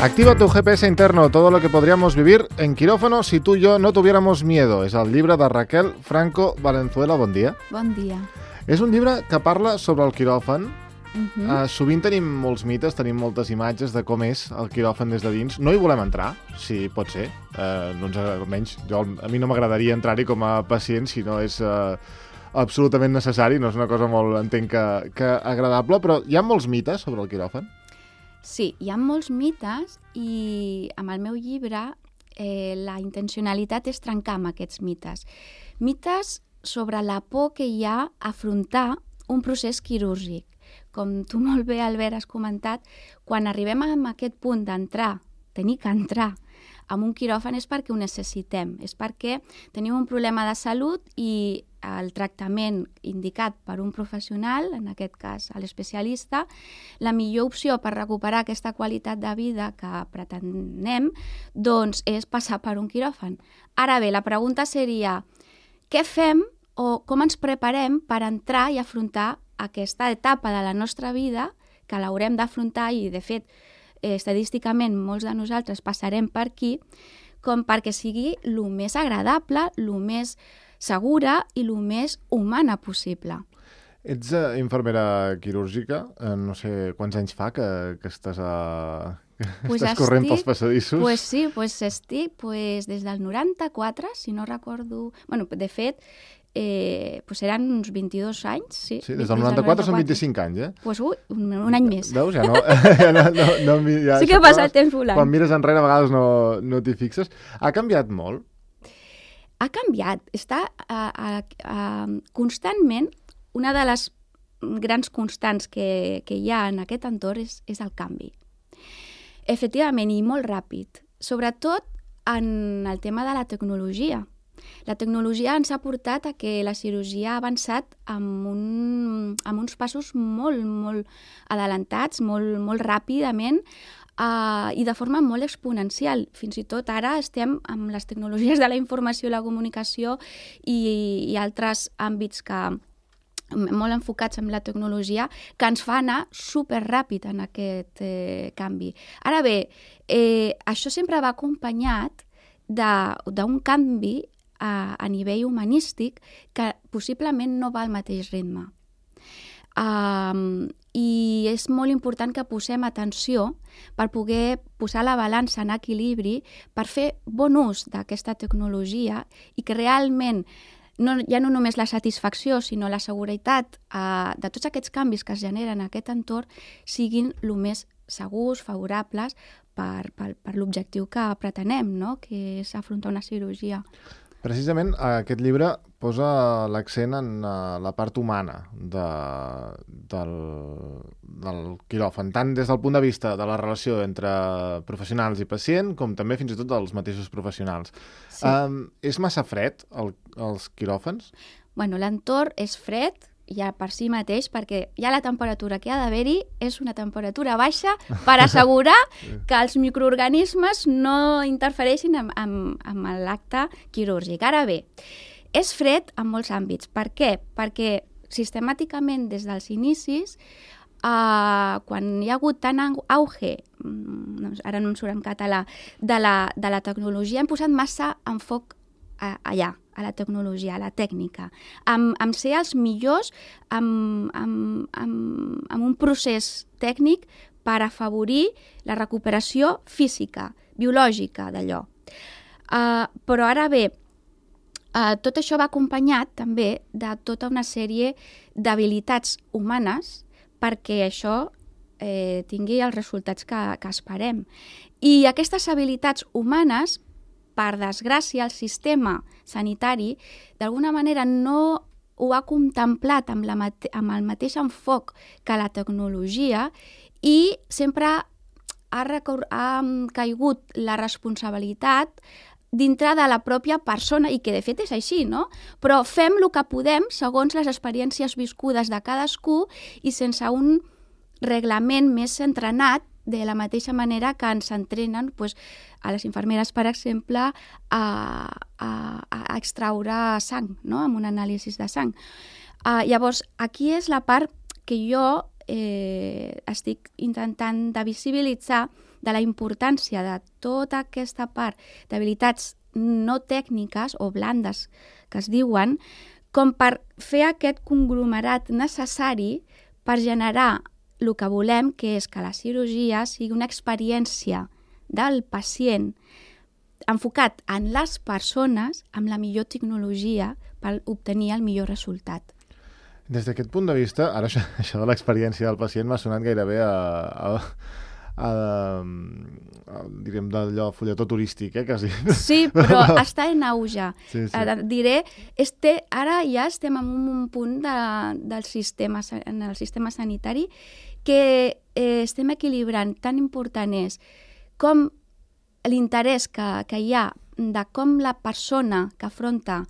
Activa tu GPS interno, todo lo que podríamos vivir en quirófano si tú y yo no tuviéramos miedo. És el llibre de Raquel Franco Valenzuela. Bon dia. Bon dia. És un llibre que parla sobre el quiròfan. Sovint tenim molts mites, tenim moltes imatges de com és el quiròfan des de dins. No hi volem entrar, si pot ser. Doncs, almenys a mi no m'agradaria entrar-hi com a pacient si no és absolutament necessari. No és una cosa molt, entenc, que agradable, però hi ha molts mites sobre el quiròfan? Sí, hi ha molts mites i amb el meu llibre la intencionalitat és trencar amb aquests mites. Mites sobre la por que hi ha a afrontar un procés quirúrgic. Com tu molt bé, Albert, has comentat, quan arribem a aquest punt d'entrar, tenir que entrar en un quiròfan és perquè ho necessitem, és perquè tenim un problema de salut i el tractament indicat per un professional, en aquest cas l'especialista, la millor opció per recuperar aquesta qualitat de vida que pretenem, doncs és passar per un quiròfan. Ara bé, la pregunta seria, què fem o com ens preparem per entrar i afrontar aquesta etapa de la nostra vida que l'haurem d'afrontar i, de fet, estadísticament molts de nosaltres passarem per aquí, com perquè sigui el més agradable, el més segura i el més humana possible. Ets infermera quirúrgica, no sé quants anys fa que estàs corrent pels passadissos. Pues sí, estic des del 94, si no recordo... Bueno, de fet, eren uns 22 anys, sí. Sí, des del 94 són 25 anys, eh? Pues un any més. Veus? Ja no... Sí que passa el temps volant. Quan mires enrere a vegades no t'hi fixes. Ha canviat molt? Ha canviat. Està constantment... Una de les grans constants que hi ha en aquest entorn és el canvi. Efectivament, i molt ràpid. Sobretot en el tema de la tecnologia. La tecnologia ens ha portat a que la cirurgia ha avançat amb uns passos molt adelantats, molt ràpidament i de forma molt exponencial. Fins i tot ara estem amb les tecnologies de la informació i la comunicació i altres àmbits molt enfocats en la tecnologia, que ens fa anar superràpid en aquest canvi. Ara bé, això sempre va acompanyat d'un canvi a nivell humanístic que possiblement no va al mateix ritme. I és molt important que posem atenció per poder posar la balança en equilibri, per fer bon ús d'aquesta tecnologia i que realment ja no només la satisfacció, sinó la seguretat de tots aquests canvis que es generen en aquest entorn siguin el més segurs, favorables per l'objectiu que pretenem, no? Que és afrontar una cirurgia. Precisament aquest llibre posa l'accent en la part humana del quiròfan, tant des del punt de vista de la relació entre professionals i pacient, com també fins i tot dels mateixos professionals. Sí. És massa fred, els quiròfans? Bueno, l'entorn és fred, ja per si mateix, perquè ja la temperatura que ha d'haver-hi és una temperatura baixa per assegurar que els microorganismes no interfereixin amb l'acte quirúrgic. Ara bé, és fred en molts àmbits. Per què? Perquè sistemàticament des dels inicis, quan hi ha hagut tant auge, ara no em surt en català, de la tecnologia, hem posat massa enfoc allà, a la tecnologia, a la tècnica, amb ser els millors amb un procés tècnic per afavorir la recuperació física, biològica d'allò. Però ara bé, tot això va acompanyat també de tota una sèrie d'habilitats humanes perquè això tingui els resultats que esperem. I aquestes habilitats humanes, per desgràcia, el sistema sanitari d'alguna manera no ho ha contemplat amb el mateix enfoc que la tecnologia i sempre ha caigut la responsabilitat dintre de la pròpia persona, i que de fet és així, no? Però fem el que podem segons les experiències viscudes de cadascú i sense un reglament més entrenat de la mateixa manera que ens entrenen a les infermeres, per exemple, a extraure sang, no? Amb un anàlisi de sang. Llavors, aquí és la part que jo estic intentant de visibilitzar de la importància de tota aquesta part d'habilitats no tècniques o blandes que es diuen, com per fer aquest conglomerat necessari per generar el que volem, que és que la cirurgia sigui una experiència del pacient enfocat en les persones amb la millor tecnologia per obtenir el millor resultat. Des d'aquest punt de vista, ara això de l'experiència del pacient m'ha sonat gairebé diríem d'allò fulletó turístic, quasi. Sí, però està en auge. Sí. Diré, ara ja estem en un punt en el sistema sanitari que estem equilibrant. Tan important és com l'interès que hi ha de com la persona que afronta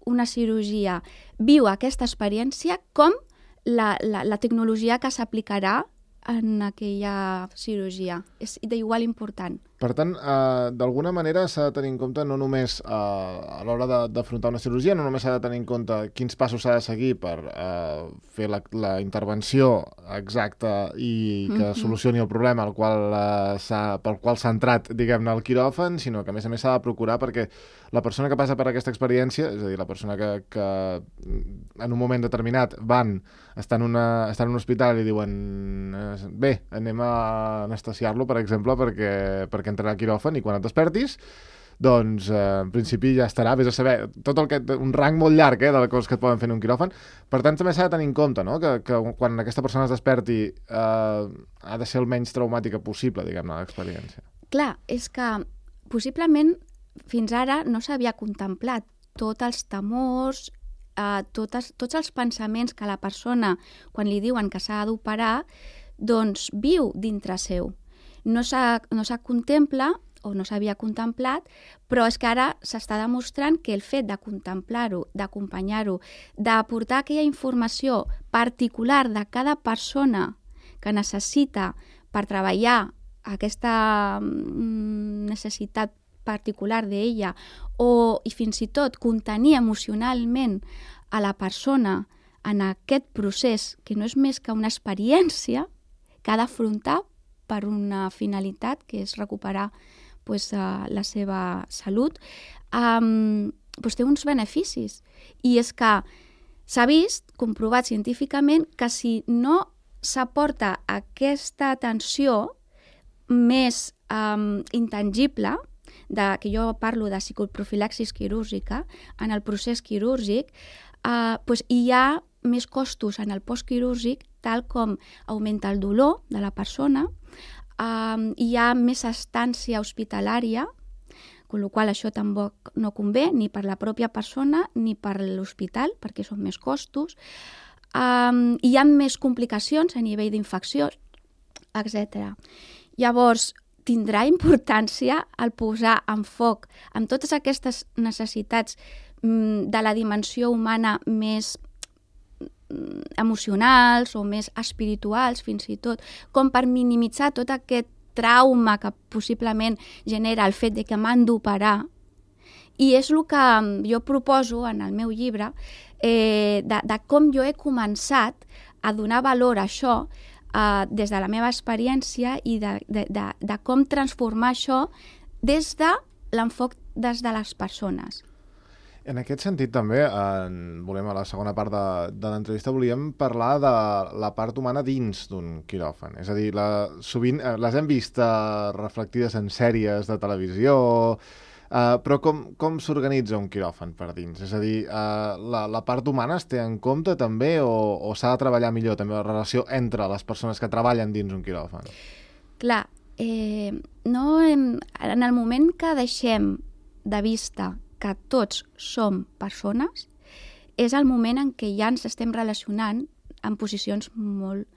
una cirurgia viu aquesta experiència, com la tecnologia que s'aplicarà en aquella cirurgia. És d'igual important. Per tant, d'alguna manera s'ha de tenir en compte no només a l'hora d'afrontar una cirurgia, no només s'ha de tenir en compte quins passos s'ha de seguir per fer la intervenció exacta i que solucioni el problema pel qual s'ha entrat, diguem-ne, al quiròfan, sinó que a més s'ha de procurar perquè la persona que passa per aquesta experiència, és a dir, la persona que en un moment determinat està en un hospital i diuen bé, anem a anestesiar-lo, per exemple, perquè entrarà al quiròfan, i quan et despertis, doncs en principi ja estarà, vés a saber, un rang molt llarg de coses que et poden fer en un quiròfan. Per tant, també s'ha de tenir en compte, no?, que quan aquesta persona es desperti ha de ser el menys traumàtica possible, diguem-ne, l'experiència. Clar, és que possiblement fins ara no s'havia contemplat tots els temors, tots els pensaments que la persona, quan li diuen que s'ha d'operar, doncs viu dintre seu. No s'ha contempla o no s'havia contemplat, però és que ara s'està demostrant que el fet de contemplar-ho, d'acompanyar-ho, d'aportar aquella informació particular de cada persona que necessita per treballar aquesta necessitat particular d'ella i fins i tot contenir emocionalment a la persona en aquest procés, que no és més que una experiència que ha d'afrontar per una finalitat, que és recuperar la seva salut, té uns beneficis. I és que s'ha vist, comprovat científicament, que si no s'aporta aquesta atenció més intangible, que jo parlo de psicoprofilaxis quirúrgica, en el procés quirúrgic, hi ha més costos en el postquirúrgic, tal com augmenta el dolor de la persona, hi ha més estància hospitalària, amb la qual això tampoc no convé ni per la pròpia persona ni per l'hospital, perquè són més costos, hi ha més complicacions a nivell d'infecció, etc. Llavors, tindrà importància el posar en foc amb totes aquestes necessitats de la dimensió humana més emocionals o més espirituals, fins i tot, com per minimitzar tot aquest trauma que possiblement genera el fet de que m'han d'operar. I és el que jo proposo en el meu llibre, de com jo he començat a donar valor a això des de la meva experiència i de com transformar això des de l'enfoc des de les persones. En aquest sentit, també, a la segona part de l'entrevista, volíem parlar de la part humana dins d'un quiròfan. És a dir, sovint les hem vist reflectides en sèries de televisió, però com s'organitza un quiròfan per dins? És a dir, la part humana es té en compte també o s'ha de treballar millor també la relació entre les persones que treballen dins un quiròfan? Clar, en el moment que deixem de vista que tots som persones, és el moment en què ja ens estem relacionant en posicions molt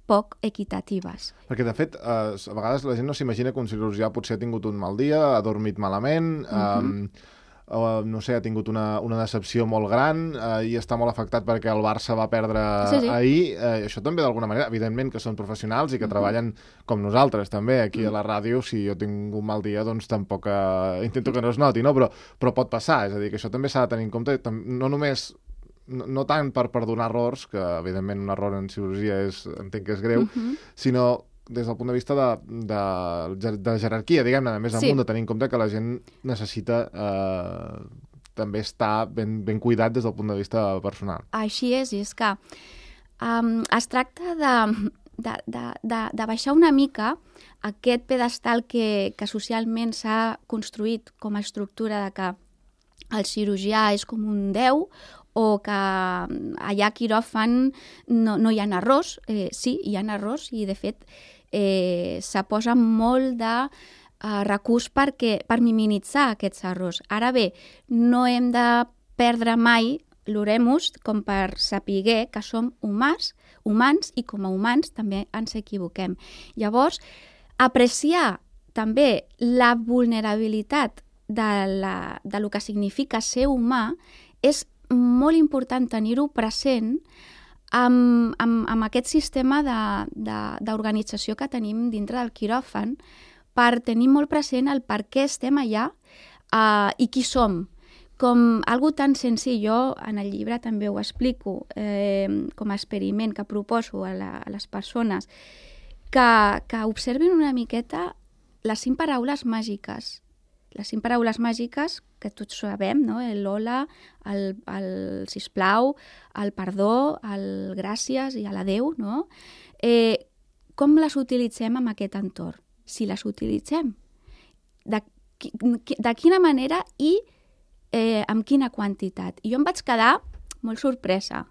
poc equitatives. Perquè, de fet, a vegades la gent no s'imagina que un cirurgià potser ha tingut un mal dia, ha dormit malament, no sé, ha tingut una decepció molt gran i està molt afectat perquè el Barça va perdre ahir. Això també d'alguna manera, evidentment que són professionals i que treballen com nosaltres també, aquí a la ràdio. Si jo tinc un mal dia, doncs tampoc intento que no es noti, no? Però pot passar, és a dir, que això també s'ha de tenir en compte, no només no tant per perdonar errors, que evidentment un error en cirurgia entenc que és greu, sinó des del punt de vista de jerarquia, diguem-ne, més amunt, de tenir en compte que la gent necessita també estar ben cuidat des del punt de vista personal. Així és, i és que es tracta de baixar una mica aquest pedestal que socialment s'ha construït com a estructura de que el cirurgià és com un déu o que allà a quiròfan no hi ha errors. Sí, hi ha errors i, de fet, se posa molt de recurs per minimitzar aquests errors. Ara bé, no hem de perdre mai l'oremus com per saber que som humans i com a humans també ens equivoquem. Llavors, apreciar també la vulnerabilitat de lo que significa ser humà és molt important tenir-ho present amb aquest sistema d'organització que tenim dintre del quiròfan, per tenir molt present el per què estem allà i qui som. Com algo tan senzill, jo en el llibre també ho explico, com a experiment que proposo a les persones, que observin una miqueta les 5 paraules màgiques. Les 5 paraules màgiques que tots sabem, no? L'hola, el sisplau, el perdó, el gràcies i l'adeu, no? Com les utilitzem en aquest entorn? Si les utilitzem, de quina manera i amb quina quantitat? I jo em vaig quedar molt sorpresa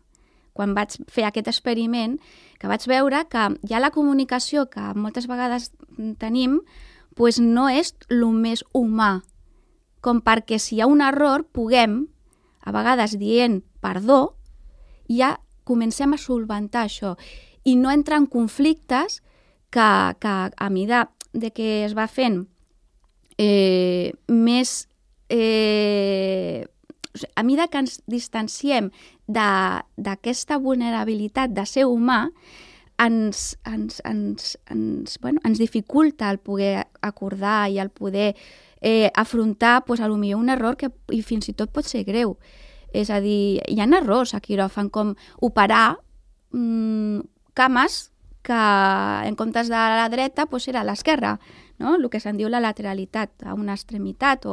quan vaig fer aquest experiment, que vaig veure que ja la comunicació que moltes vegades tenim pues no és el més humà, com perquè si hi ha un error puguem, a vegades dient perdó, ja comencem a solventar això i no entrar en conflictes que a mesura que es va fent més... a mesura que ens distanciem d'aquesta vulnerabilitat de ser humà, ens dificulta el poder acordar i el poder afrontar potser un error que fins i tot pot ser greu. És a dir, hi ha errors a quiròfan, com operar cames que en comptes de la dreta era a l'esquerra, no? El que se'n diu la lateralitat, a una extremitat.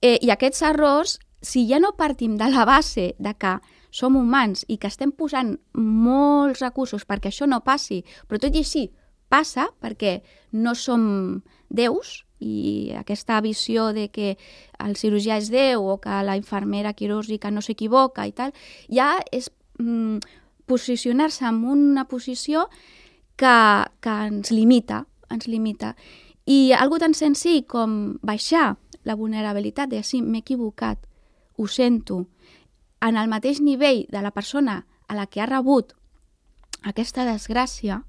I aquests errors, si ja no partim de la base de que som humans i que estem posant molts recursos perquè això no passi, però tot i així passa perquè no som déus, i aquesta visió de que el cirurgià és déu o que la infermera quirúrgica no s'equivoca i tal, ja és posicionar-se en una posició que ens limita. I algo tan senzill com baixar la vulnerabilitat de si m'he equivocat, ho sento, en el mateix nivell de la persona a la que ha rebut aquesta desgràcia,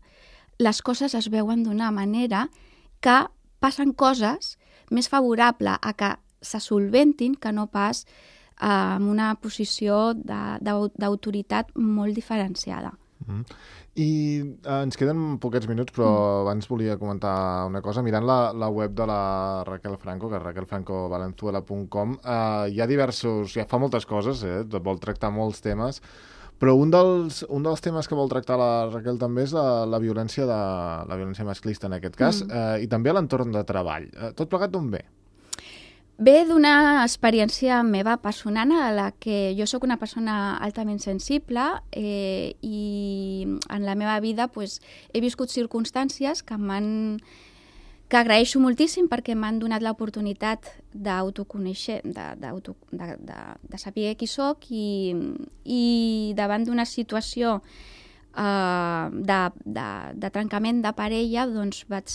les coses es veuen d'una manera que passen coses més favorables a que se solventin que no pas en una posició d'autoritat molt diferenciada. I ens queden poquets minuts, però abans volia comentar una cosa. Mirant la web de la Raquel Franco, que és raquelfrancovalenzuela.com, hi ha diversos... Ja fa moltes coses, vol tractar molts temes, però un dels temes que vol tractar la Raquel també és la violència masclista, en aquest cas, i també l'entorn de treball. Tot plegat d'on ve? Ve d'una experiència meva personal a la que jo sóc una persona altament sensible i en la meva vida he viscut circumstàncies que agraeixo moltíssim perquè m'han donat l'oportunitat d'autoconèixer, de saber qui soc i davant d'una situació de trencament de parella doncs vaig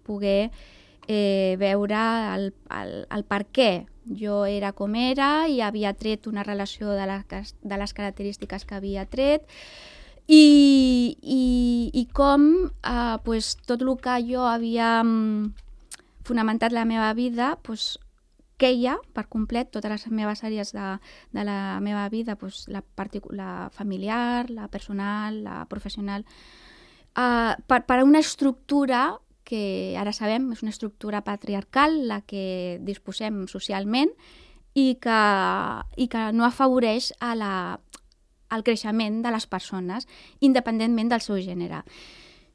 poder veure el per què jo era com era i havia tret una relació de les característiques que havia tret i com tot el que jo havia fonamentat la meva vida queia per complet totes les meves àrees de la meva vida, doncs, la familiar, la personal, la professional, per a una estructura que ara sabem és una estructura patriarcal, la que disposem socialment i que no afavoreix el creixement de les persones, independentment del seu gènere.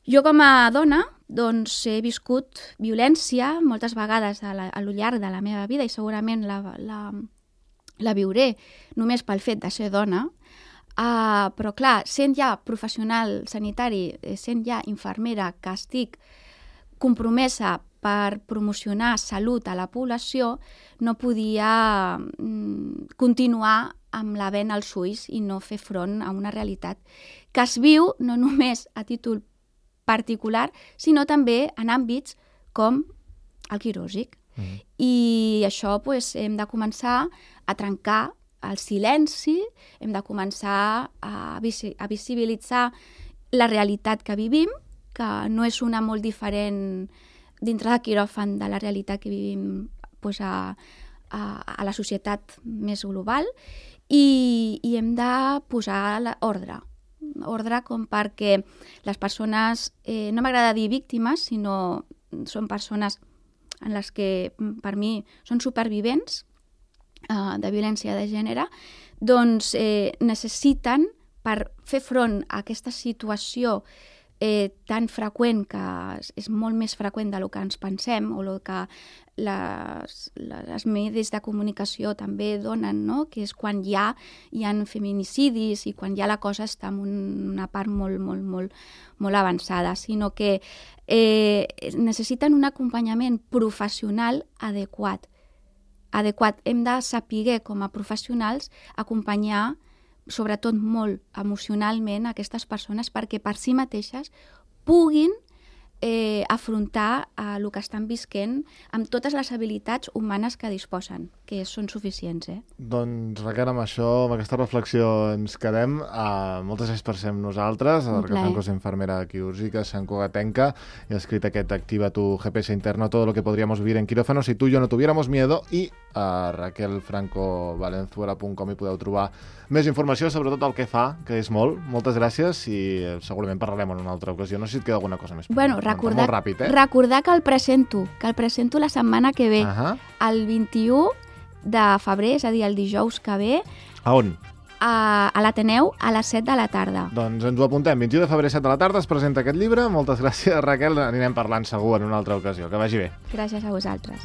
Jo com a dona doncs, he viscut violència moltes vegades a lo llarg de la meva vida i segurament la viuré només pel fet de ser dona, però clar, sent ja professional sanitari, sent ja infermera que estic compromesa per promocionar salut a la població, no podia continuar amb la vena als ulls i no fer front a una realitat que es viu no només a títol particular, sinó també en àmbits com el quirúrgic. I això doncs, hem de començar a trencar el silenci, hem de començar a visibilitzar la realitat que vivim, que no és una molt diferent dintre de quiròfan de la realitat que vivim doncs, a la societat més global, i hem de posar ordre com perquè les persones, no m'agrada dir víctimes, sinó són persones en les que per mi són supervivents de violència de gènere, doncs necessiten, per fer front a aquesta situació tan freqüent, que és molt més freqüent del que ens pensem, o el que les medis de comunicació també donen, no? Que és quan hi ha feminicidis i quan ja la cosa està en una part molt avançada, sinó que necessiten un acompanyament professional adequat. Hem de saber, com a professionals, acompanyar sobretot molt emocionalment aquestes persones perquè per si mateixes puguin afrontar el que estan visquent amb totes les habilitats humanes que disposen, que són suficients. Doncs Raquel, amb això, amb aquesta reflexió ens quedem. Moltes gràcies per ser amb nosaltres. Raquel Franco és infermera quirúrgica, sancogatenca, y ha escrit aquest Activa tu GPS interno, todo lo que podríamos vivir en quirófano si tú y yo no tuviéramos miedo, i a raquelfrancovalenzuela.com hi podeu trobar més informació sobre tot el que fa, que és molt. Moltes gràcies i segurament parlarem en una altra ocasió. No sé si et queda alguna cosa més. Bueno, recordar que el presento la setmana que ve, el 21 de febrer, és a dir, el dijous que ve. A on? A l'Ateneu a les 7 de la tarda. Doncs ens ho apuntem. 21 de febrer, 7 de la tarda, es presenta aquest llibre. Moltes gràcies, Raquel. Anirem parlant segur en una altra ocasió. Que vagi bé. Gràcies a vosaltres.